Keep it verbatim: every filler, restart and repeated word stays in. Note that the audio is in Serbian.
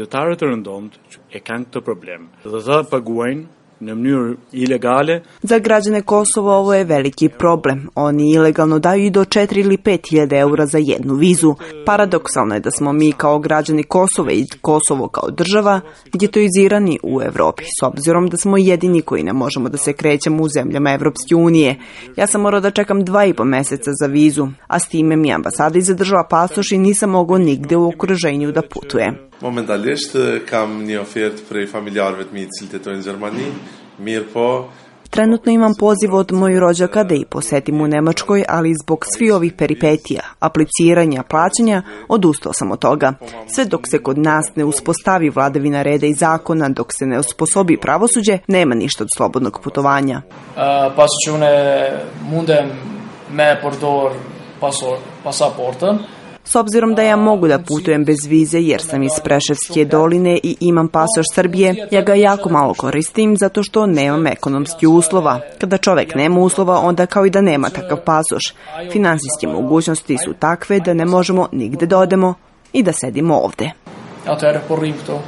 Qytetarët e rëndomtë e kanë këtë problem dhe ata paguajnë në mënyrë ilegale. Za građane Kosova ovo je veliki problem. Oni ilegalno daju i do četiri ili pet hiljada eura za jednu vizu. Paradoksalno je da smo mi kao građani Kosova i Kosovo kao država getoizirani u Evropi, s obzirom da smo jedini koji ne možemo da se krećemo u zemljama Evropske unije. Ja sam morao da čekam dva i po meseca za vizu, a s time mi ambasada i zadržala pasoš i nisam mogao nigde u okruženju da putujem. Momentalisht kam një ofertë prej familjarëve të mi të cilët jetojnë në Gjermani, mirë po. Trenutno imam poziv od mojih rođaka da ih posetim u Nemačkoj, ali zbog svih ovih peripetija, apliciranja, plaćanja, odustao sam od toga. Sve dok se kod nas ne uspostavi vladavina reda i zakona, dok se ne osposobi pravosuđe, nema ništa od slobodnog putovanja. Pas që une mundem me përdor pasaportën, S obzirom da ja mogu da putujem bez vize jer sam iz Preševske doline i imam pasoš Srbije, ja ga jako malo koristim zato što nemam ekonomski uslova. Kada čovek nema uslova, onda kao i da nema takav pasoš. Finansijske mogućnosti su takve da ne možemo nigde da odemo i da sedimo ovde. Atëherë po rrim këtu.